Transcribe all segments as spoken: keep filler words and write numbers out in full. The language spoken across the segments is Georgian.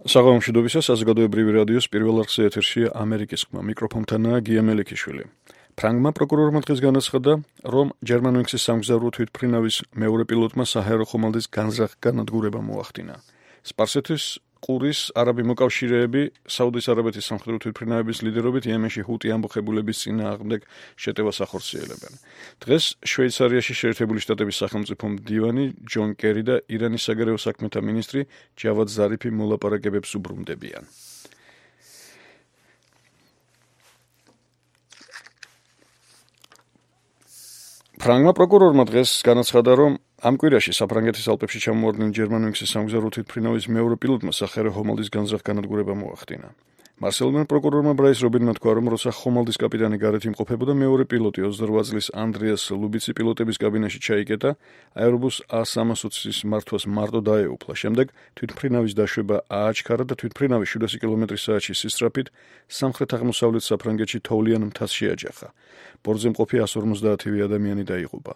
საღამომშვიდობისა, საზოგადოებრივი რადიოს პირველ არხზე ეთერშია ამერიკის ხმა. მიკროფონთანაა გია მელიქიშვილი. ფრანგმა პროკურორმა დღეს განაცხადა, რომ ჯერმანუინქსის სამგზავრო თვითმფრინავის მეორე პილოტმა საჰაერო ხომალდის განზრახ-განადგურება მოახდინა. სპარსეთის ყურის არაბი მოკავშირეები საუდის არაბეთის სამხედრო თვითმფრინავების ლიდერობით იემენში ჰუტი ამბოხებულების წინააღმდეგ შეტევას ახორციელებენ. დღეს შვეიცარიაში შეერთებული შტატების სახელმწიფო მდივანი ჯონ კერი და ირანის საგარეო საქმეთა მინისტრი ჯავად ზარიფი მოლაპარაკებებს უბრუნდებიან. ფრანგმა პროკურორმა დღეს განაცხადა, რომ ამ კვირაში საფრანგეთის ალპებში ჩამოვარდნილ ჯერმანუინქსის სამგზავრო თვითმფრინავის მეორე პილოტმა საჰაერო ხომალდის განზრახ-განადგურება მოახდინა. მარსელიდან პროკურორმა ბრაის რობინმა თქვა, რომ როცა ხომალდის კაპიტანი გარეთ იმყოფებოდა, მეორე პილოტი ოცდარვა წლის ანდრეას ლუბიცი პილოტების კაბინაში ჩაიკეტა, აერობუს A სამას ოცის მართვას მარტო დაეუფლა. შემდეგ თვითმფრინავის დაშვება ააჩქარა და თვითმფრინავი შვიდასი კილომეტრის საათში სისწრაფით სამხრეთ-აღმოსავლეთ საფრანგეთში თოვლიან მთას შეაჯახა. ბორტზე მყოფი εκατს ორმოცდაათი ადამიანი დაიღუპა.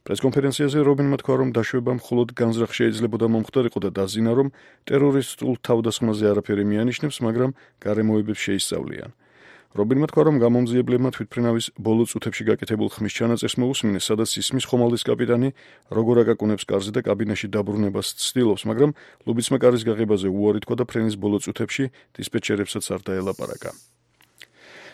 პრესკონფერენციაზე რობინმა თქვა, რომ დაშვება მხოლოდ განზრახ შეიძლებოდა მომხდარიყო და დაზინა, რომ ტერორისტულ თავდასხმაზე არაფერი მიანიშნებს, მაგრამ გარემოებებს შეისწავლიან. რობინმა თქვა, რომ გამომძიებლებმა თვითმფრინავის ბოლო წუთებში გაკეთებულ ხმის ჩანაწერს მოусმინეს, სადაც ისმის ხომალდის კაპიტანი როგორ აკაკუნებს კარზე და კაბინაში დაბრუნებას ცდილობს, მაგრამ ლუბიცმა კარის გაღებაზე უარი თქვა და ფრენის ბოლო წუთებში დისპეჩერებსაც არ დაელაპარაკა.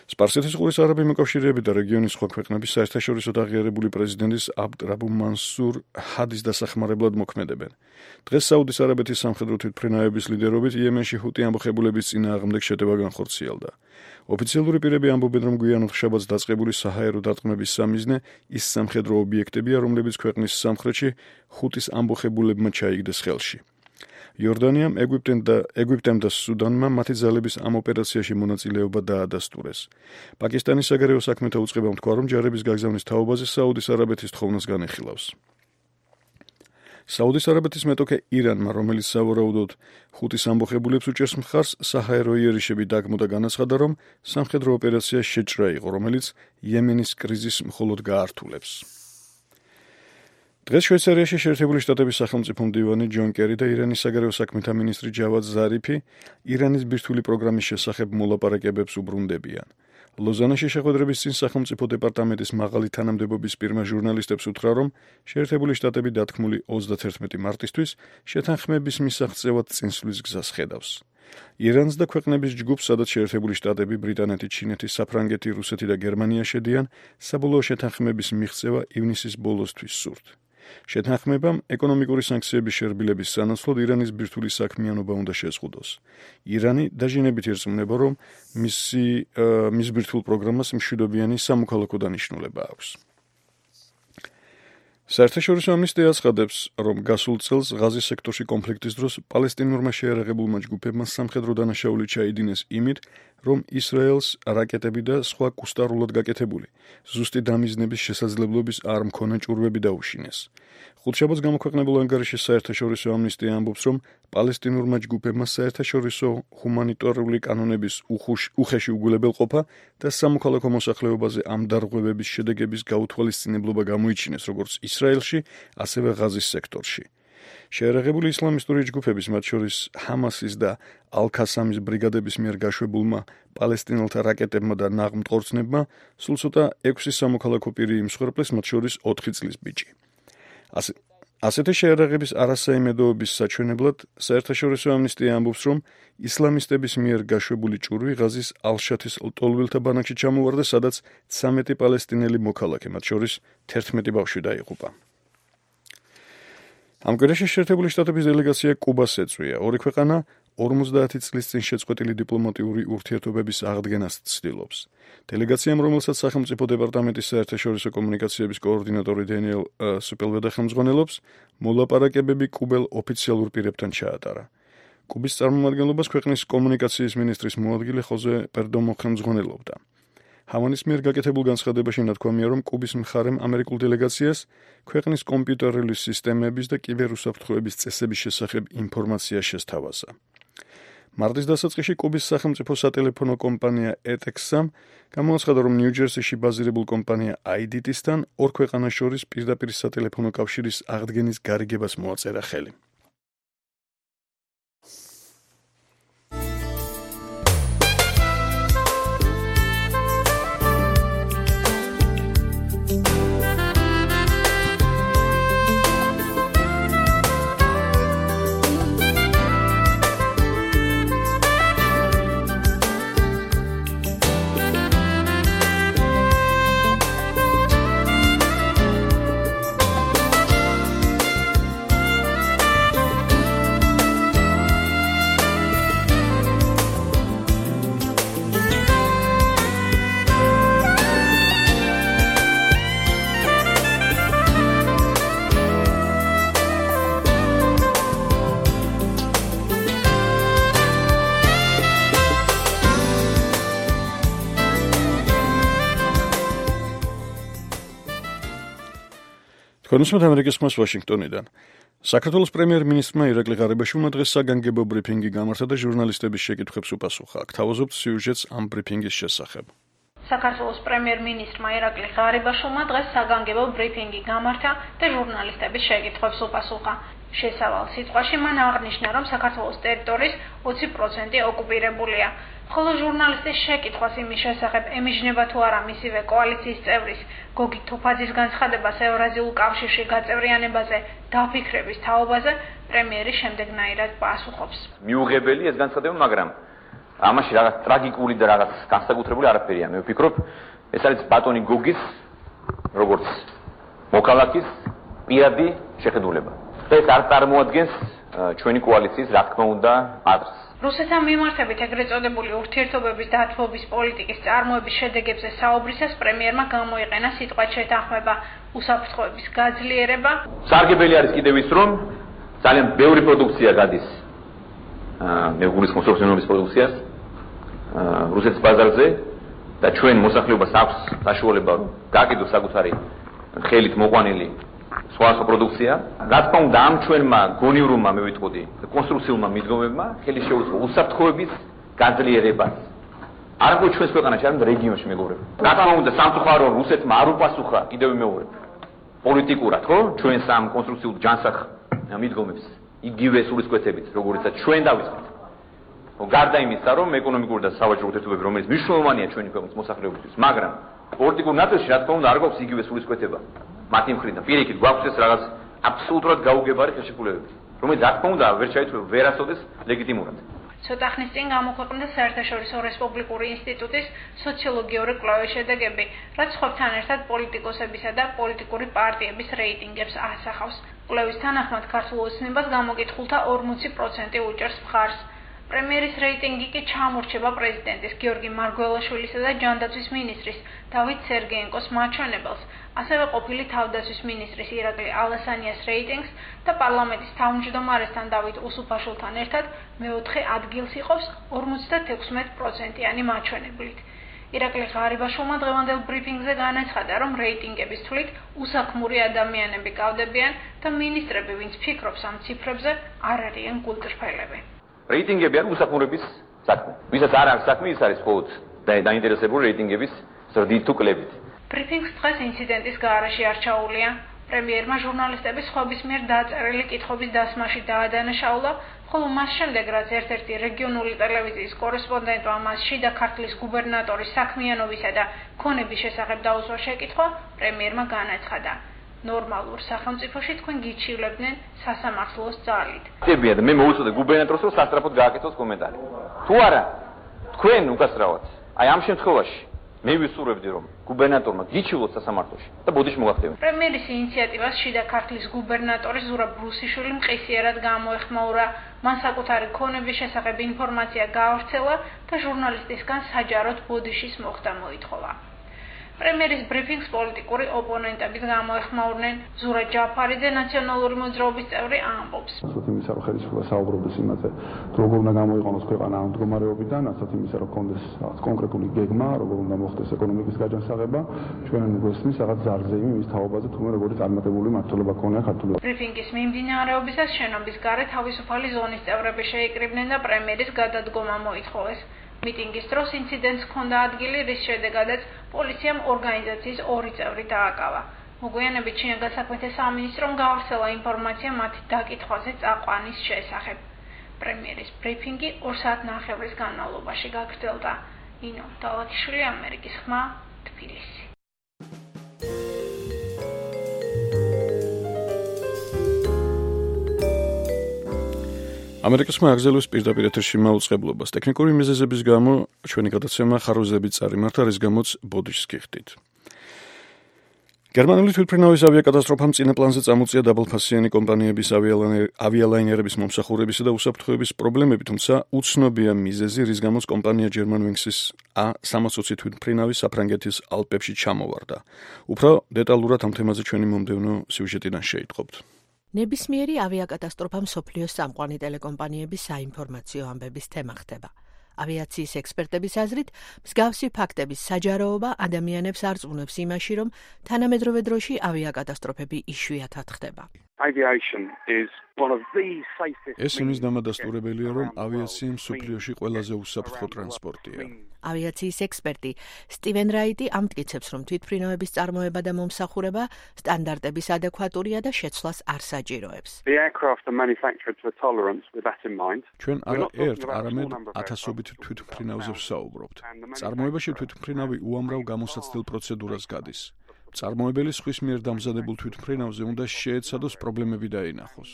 სპარსეთის ყურის არაბი მოკავშირეები და რეგიონის სხვა ქვეყნების საერთაშორისო აღიარებული პრეზიდენტის აბდ რაბუ მანსურ ჰადის დასახმარებლად მოქმედებენ. დღეს საუდის არაბეთის სამხედრო თვითმფრინავების ლიდერობით იემენში ჰუტი ამბოხებულების წინააღმდეგ შეტევა განხორციელდა. ოფიციალური პირები ამბობენ, რომ გვიანად შაბათს დაწყებული საჰაერო დარტყმების სამიზნე ის სამხედრო ობიექტებია, რომლებიც ქვეყნის სამხრეთში ჰუტის ამბოხებულებმა ჩაიგდეს ხელში. იორდანიამ, ეგვიპტემ და ეგვიპტემ და სუდანმა მათი ძალების ამ ოპერაციაში მონაწილეობა დაადასტურეს. პაკისტანის საგარეო საქმეთა უწყებამ თქვა, რომ ჯარების გაგზავნის თაობაზე საუდის არაბეთის თხოვნას განეხილავს. საუდის არაბეთის მეტოქე ირანმა, რომელიც სავარაუდოდ ჰუტის ამბოხებულებს უჭერს მხარს, საჰაერო იერიშები დაგმო და განაცხადა, რომ სამხედრო ოპერაცია შეჭრა იყო, რომელიც იემენის კრიზისს მხოლოდ გაართულებს. დღეს შვეიცარიაში შეერთებული შტატების სახელმწიფო მდივანი ჯონ კერი და ირანის საგარეო საქმეთა მინისტრი ჯავად ზარიფი ირანის ბირთვული პროგრამის შესახებ მოლაპარაკებებს უბრუნდებიან. ლოზანაში შეხვედრების წინ სახელმწიფო დეპარტამენტის მაღალი თანამდებობის პირმა ჟურნალისტებს უთხრა, რომ შეერთებული შტატები დათქმული ოცდათერთმეტი მარტისთვის შეთანხმების მისაღწევად წინსვლის გზას ხედავს. ირანს და ქვეყნების ჯგუფს, სადაც შეერთებული შტატები, ბრიტანეთი, ჩინეთი, საფრანგეთი, რუსეთი და გერმანია შედიან, საბოლოო შეთანხმების მიღწევა ივნისის ბოლოსთვის სურთ. შეთანხმებამ ეკონომიკური სანქციების შერბილების სანაცვლოდ ირანის ბირთვული საქმიანობა უნდა შეზღუდოს. ირანი დაჟინებით ერწმუნება, რომ მისი მის ბირთვულ პროგრამას მშვიდობიანი სამოქალაქო დანიშნულება აქვს. საერთაშორისო ამნისტია აცხადებს, რომ გასულ წელს ღაზის სექტორში კონფლიქტის დროს პალესტინურმა შეიარაღებულმა ჯგუფებმა სამხედრო დანაშაული ჩაიდინეს იმით, რომ ისრაელს რაკეტები და სხვა კუსტარულად გაკეთებული ზუსტი დამიზნების შესაძლებლობის არ მქონა ჭურვები დაუშინეს. ხუთშაბათს გამოქვეყნებულ ანგარიშში საერთაშორისო ამნისტია ამბობს, რომ პალესტინურმა ჯგუფებმა საერთაშორისო ჰუმანიტარული კანონების უხეში უგულებელყოფა და სამოქალაქო მოსახლეობაზე ამ დარღვევების შედეგების გაუთვალისწინებლობა გამოიჩინეს როგორც ისრაელში, ასევე ღაზის სექტორში. შეიარაღებული ისლამისტური ჯგუფების, მათ შორის ჰამასის და ალ-ქასამის ბრიგადების მიერ გაშვებულმა პალესტინელთა რაკეტებმა და ნაღმტყორცნებმა სულ ცოტა ექვსი სამოქალაქო პირი იმსხვერპლეს, მათ შორის ოთხი წლის ბიჭი. ასეთი შეიარაღების არასაიმედოობის საჩვენებლად საერთაშორისო ამნისტია ამბობს, რომ ისლამისტების მიერ გაშვებული ჭურვი ღაზის ალ-შათის ლტოლვილთა ბანაკში ჩამოვარდა, სადაც ცამეტი პალესტინელი მოქალაქე, მათ შორის თერთმეტი ბავშვი დაიღუპა. ამ კვირაში შეერთებული შტატების დელეგაცია კუბას ეწვია. ორი ქვეყანა ორმოცდაათი წლის წინ შეწყვეტილი დიპლომატიური ურთიერთობების აღდგენას ცდილობს. დელეგაციამ, რომელსაც სახელმწიფო დეპარტამენტის საერთაშორისო კომუნიკაციების კოორდინატორი დენიელ სუპელვედა ხელმძღვანელობს, მოლაპარაკებები კუბელ ოფიციალურ პირებთან ჩაატარა. კუბის წარმომადგენლობას ქვეყნის კომუნიკაციის მინისტრის მოადგილე ხოზე პერდომო ხელმძღვანელობდა. ჰავანის მიერ გაკეთებულ განცხადებაში ნათქვამია, რომ კუბის მხარემ ამერიკულ დელეგაციას ქვეყნის კომპიუტერული სისტემების და კიბერუსაფრთხოების წესების შესახებ ინფორმაცია შესთავაზა. მარტის დასაწყისში კუბის სახელმწიფო სატელეფონო კომპანია ეტექსამ გამოაცხადა, რომ ნიუ-ჯერსიში ბაზირებულ კომპანია აი დი ტი-სთან ორ ქვეყანას შორის პირდაპირ სატელეფონო კავშირის აღდგენის გარიგებას მოაწერა ხელი. Თქვენუსმეთ ამერიკის ხმას ვაშინგტონიდან. საქართველოს პრემიერ-მინისტრმა ირაკლი ღარიბაშვილმა დღეს საგანგებო ბრიფინგი გამართა და ჟურნალისტების შეკითხვებს უპასუხა. აქ თავაზობთ სიუჟეტს ამ ბრიფინგის შესახებ. საქართველოს პრემიერ-მინისტრმა ირაკლი ღარიბაშვილმა დღეს საგანგებო ბრიფინგი გამართა და ჟურნალისტების შეკითხვებს უპასუხა. შესავალ სიტყვაში მან აღნიშნა, რომ საქართველოს ტერიტორიის ოცი პროცენტი ოკუპირებულია. ხოლო ჟურნალისტის შეკითხვას იმის შესახებ, ემიჯნება თუ არა მისივე კოალიციის წევრის გოგი თოფაძის განცხადებას ევრაზიულ კავშირში გაწევრიანებაზე დაფიქრების თაობაზე, პრემიერი შემდეგნაირად პასუხობს. მიუღებელი ეს განცხადება, მაგრამ ამაში რაღაც ტრაგიკული და რაღაც განსაკუთრებული არაფერია. მე ვფიქრობ, ეს არის ბატონი გოგის, როგორც მოქალაქის პირადი შეხედულება. ეს არ წარმოადგენს ჩვენი კოალიციის, რა თქმა უნდა, აზრს. რუსეთთან მიმართებით ეგრეთ წოდებული ურთიერთობების დათბობის პოლიტიკის წარმოების შედეგებზე საუბრისას პრემიერმა გამოიყენა სიტყვა შეთანხმება, უსაფრთხოების გაძლიერება. სარგებელი არის კიდევ ის, რომ ძალიან ბევრი პროდუქცია გადის მე გულისხმობ სოფლმეურნეობის პროდუქციას რუსეთის ბაზარზე და ჩვენ მოსახლეობას აქვს საშუალება რომ გააკეთოს საკუთარი ხელით მოყვანილი სხვა პროდუქცია. რა თქმა უნდა, ამ ჩვენმა გონივრumმა მე ვიტყოდი, კონსტრუქციულმა მიდგომებმა ხელი შეუწყო უსაფრთხოების გაძლიერებას. არ აქვს ჩვენს ქვეყანაში, არამედ რეგიონში მეგობრებო. რა თქმა უნდა, სამწუხარო რუსეთმა არ უპასუხა, კიდევ ვიმეორებ, პოლიტიკურად, ხო? ჩვენ სამ კონსტრუქციულ ჯანსაღ მიდგომებს იგივე სულისკვეთებით, როგორიცაც ჩვენ დავიწყეთ. გარდა იმისა, რომ ეკონომიკური და სავაჭრო ურთიერთობები, რომელიც მნიშვნელოვანია ჩვენი ქვეყნის მოსახლეობისთვის, მაგრამ პოლიტიკურ ნაწილში, რა თქმა უნდა, არ გვაქვს იგივე სულისკვეთება. მათი მხრიდან პირიქით გვაქვს ეს რაღაც აბსოლუტურად გაუგებარი ხელშეკრულებები, რომელიც რა თქმა უნდა ვერ ჩაითვლება, ვერ ასწავდეს ლეგიტიმურად. ცოტა ხნის წინ გამოქვეყნდა საერთაშორისო რესპუბლიკური ინსტიტუტის სოციოლოგიური კვლევის შედეგები, რაც სხვებთან ერთად პოლიტიკოსებისა და პოლიტიკური პარტიების რეიტინგებს ასახავს. კვლევის თანახმად ქართულ ოცნებას გამოკითხულთა ორმოცი პროცენტი უჭერს მხარს. პრემიერის რეიტინგი კი ჩამორჩება პრეზიდენტის გიორგი მარგველაშვილისა და ჯანდაცვის მინისტრის დავით სერგეენკოს მაჩვენებელს, ასევე ყოფილი თავდაცვის მინისტრის ირაკლი ალასანიას რეიტინგს და პარლამენტის თავმჯდომარესთან დავით უსუფაშვილთან ერთად მეოთხე ადგილს იღებს ორმოცდათექვსმეტ პროცენტიანი მაჩვენებლით. ირაკლი ღარიბაშვილმა დღევანდელ ბრიფინგზე განაცხადა, რომ რეიტინგების თვლით უსაქმური ადამიანები კავდებიან და მინისტრები, ვინც ფიქრობს ამ ციფრებზე, არ არიან გულწრფელები. რეიტინგები არის უსაქმურების საქმე. ვისაც არ აქვს საქმე, ის არის მხოლოდ დაინტერესებული რეიტინგების ზრდით თუ კლებით. ბრიფინგს დღეს ინციდენტის გარეშე არ ჩაუვლია. პრემიერმა ჟურნალისტების სხვების მიერ დაწერილი კითხვების დასმაში დაადანაშაულა, ხოლო მას შემდეგ, რაც ერთ-ერთი რეგიონული ტელევიზიის კორესპონდენტმა მას შიდა ქართლის გუბერნატორის საქმიანობისა და ქონების შესახებ დაუსვა შეკითხვა, პრემიერმა განაცხადა. ნორმალურ სახელმწიფოში თქვენ გიჩივლებდნენ სასამართლოს ძალით. ხდებია და მე მოვუწოდე გუბერნატორს, რომ სასწრაფოდ გააკეთოს კომენტარი. თუ არა, თქვენ უკასრავად, აი ამ შემთხვევაში მე ვისურვებდი, რომ გუბერნატორმა გიჩივლოს სასამართლოში და ბოდიში მოგახდევენ. პრემიერის ინიციატივას შიდა ქართლის გუბერნატორი ზურაბ ბრუსიშვილი მყისიერად გამოეხმაურა. მან საკუთარი ქონების შესახებ ინფორმაცია გაავრცელა და ჟურნალისტისგან საჯაროდ ბოდიშის მოხდა მოითხოვა. პრემიერის ბრიფინგს პოლიტიკური ოპონენტებიც გამოეხმაურნენ. ზურა ჯაფარიძე, ნაციონალური მოძრაობის წევრი, ამბობს. ასეთ იმისა, რომ ხელისუფლება საუბრობს იმაზე, როგორ უნდა გამოიყენოს ქვეყანა ამ მდგომარეობიდან, ასეთ იმისა, რომ კონდეს კონკრეტული გეგმა, როგორ უნდა მოხდეს ეკონომიკის გაჯანსაღება, ჩვენ გვესმის რაღაც ზარგზეიმი მის თაობაზე, თუმცა როგორი წარმატებული მმართველობა ქონია ქართული. ბრიფინგის მიმდინარეობისას შენობის გარეთ თავისუფალი ზონის წევრები შეიკრიბნენ და პრემიერის გადადგომა მოითხოვეს. მიტინგის დროს ინციდენტს ჰქონდა ადგილი, რის შედეგადაც პოლიციამ ორგანიზაციის ორი წევრი დააკავა. მოგვიანებით ჩინეთის საქმეთა სამინისტრომ გაავრცელა ინფორმაცია მათი დაკითხვაზე წაყვანის შესახებ. პრემიერის ბრიფინგი ორ საათნახევრის განმავლობაში გაგრძელდა. ინო დალაქიშვილი, ამერიკის ხმა, თბილისი. ამერიკის ხმა აგზელოს პირდაპირ ეთერში მაუწყებლობას. ტექნიკური მიზეზების გამო ჩვენი გადაცემა ხარვეზებით წარიმართა, რის გამოც ბოდიშს გიხდით. გერმანული თვითმფრინავის ავიაკატასტროფამ წინა პლანზე წამოწია დაბალფასიანი კომპანიების ავიალაინერების მომსახურებისა და უსაფრთხოების პრობლემები, თუმცა უცნობია მიზეზი, რის გამოც კომპანია Germanwings-ის A სამას ოცი თვითმფრინავი საფრანგეთის ალპებში ჩამოვარდა. უფრო დეტალურად ამ თემაზე ჩვენი მომდევნო სიუჟეტიდან შეიტყობთ. ნებისმიერი ავიაკატასტროფა მსოფლიოს წამყვანი ტელეკომპანიების საინფორმაციო ამბების თემა ხდება. ავიაციის ექსპერტების აზრით, მსგავსი ფაქტების საჯაროობა ადამიანებს არწმუნებს იმაში, რომ თანამედროვე დროში ავიაკატასტროფები იშვიათად ხდება. ეს იმის დამადასტურებელია, რომ ავიაცია მსოფლიოში ყველაზე უსაფრთხო ტრანსპორტია. ავიაციის ექსპერტი სტივენ რაიტი ამტკიცებს, რომ თვითმფრინავების წარმოება და მომსახურება სტანდარტების ადეკვატურია და შეცვლას არ საჭიროებს. ჩვენ არა ერთ, არამედ ათასობით თვითმფრინავზე ვსაუბრობთ. წარმოებაში თვითმფრინავი უამრავ გამოსაცდელ პროცედურას გადის. წარმოებელი სხვის მიერ დამზადებულ თვითმფრინავზე უნდა შეეცადოს პრობლემები დაინახოს.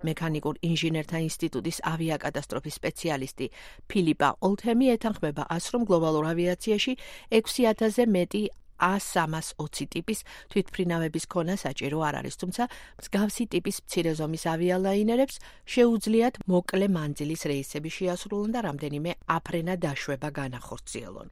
მექანიკურ ინჟინერთა ინსტიტუტის ავიაკატასტროფის სპეციალისტი ფილიპა ოლთემი ეთანხმება ას, რომ გლობალურ ავიაციაში ექვსი ათასზე მეტი A სამას ოცი ტიპის თვითმფრინავების ქონა საჭირო არ არის, თუმცა მსგავსი ტიპის მცირე ზომის ავიალაინერებს შეუძლიათ მოკლე მანძილის რეისები შეასრულონ და რამდენიმე აფრენა დაშვება განახორციელონ.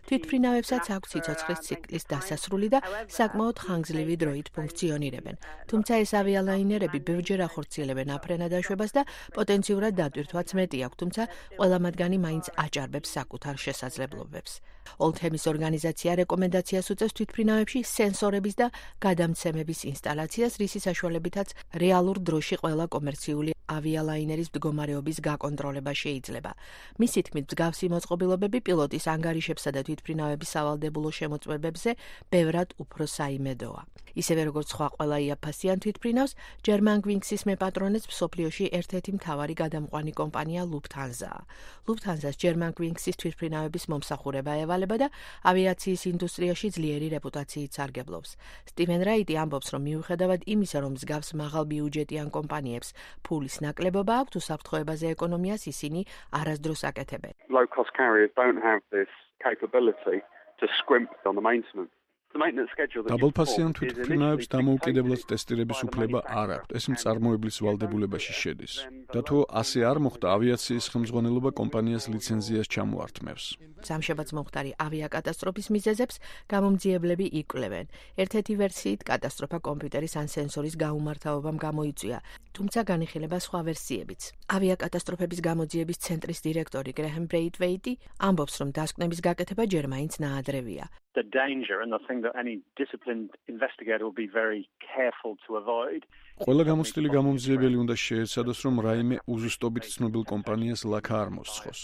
თვითმფრინავებსაც აქვს სიცოცხლის ციკლის დასასრული და საკმაოდ ხანგრძლივი დროით ფუნქციონირებენ, თუმცა ეს ავიალაინერები ბევრჯერ ახორციელებენ აფრენა დაშვებას და პოტენციურად დატვირთვაც მეტი აქვს, თუმცა ყველა მათგანი მაინც აჭარბებს საკუთარ შესაძლებლობებს. ოლთემის ორგანიზაცია რეკომენდაციას უწევს თვითმფრინავებში სენსორების და გადამცემების ინსტალაციას, რისი საშუალებითაც რეალურ დროში ყველა კომერციული ავიალაინერის მდგომარეობის გაკონტროლება შეიძლება. მისი თქმით, მსგავსი მოწყობილობები პილოტის ანგარიშებსა და თვითმფრინავების სავალდებულო შემოწმებებზე ბევრად უფრო საიმედოა. ისევე როგორც სხვა ყველა იაფასიან თვითმფრინავს, Germanwings-ის მეპატრონეც მსოფლიოში ერთ-ერთი მთავარი გადამყვანი კომპანია Lufthansa-ა. Lufthansa-ს Germanwings-ის თვითმფრინავების მომსახურება ევალება და ავიაციის ინდუსტრიაში ძლიერი რეპუტაციით სარგებლობს. სტივენ რაიტი ამბობს, რომ მიუხედავად იმისა, რომ მსგავს მაღალბიუჯეტიან კომპანიებს ფულის ნაკლებობა აქვს, უსაფრთხოებაზე ეკონომიას ისინი არასდროს აკეთებენ. Low-cost carriers don't have this capability to scrimp on the maintenance. დაბალფასიან თვითმფრინავებს დამოუკიდებლად ტესტირების უფლება არ აქვთ. ეს მწარმოებლის ვალდებულებაში შედის. და თუ ასე არ მოხდა, ავიაციის ხელმძღვანელობა კომპანიას ლიცენზიას ჩამოართმევს. სამშაბათს მომხდარი ავიაკატასტროფის მიზეზებს გამომძიებლები იკვლევენ. ერთ-ერთი ვერსიით კატასტროფა კომპიუტერის ან სენსორის გაუმართავობამ გამოიწვია, თუმცა განიხილება სხვა ვერსიებიც. ავიაკატასტროფების გამოძიების ცენტრის დირექტორი გრეჰემ ბრეითვეიტი ამბობს, რომ დასკვნების გაკეთება ჯერ მაინც ნაადრევია. The danger and the thing that any disciplined investigator will be very careful to avoid. ყველა გამოცდილი გამომძიებელი უნდა შეეცადოს, რომ რაიმე უზუსტობით ცნობილ კომპანიას ლაქა არ მოსცხოს.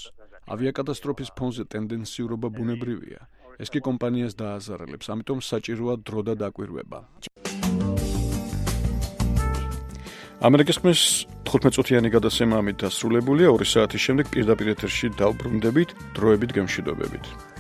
ავიაკატასტროფის ფონზე ტენდენციურობა ბუნებრივია. ეს კი კომპანიას დააზარალებს, ამიტომ საჭიროა დრო და დაკვირვება. ამერიკის ხმის თხუთმეტ-წუთიანი გადაცემა ამით დასრულებულია. ორი საათის შემდეგ პირდაპირ ეთერში დავბრუნდებით დროებით გემშვიდობებით.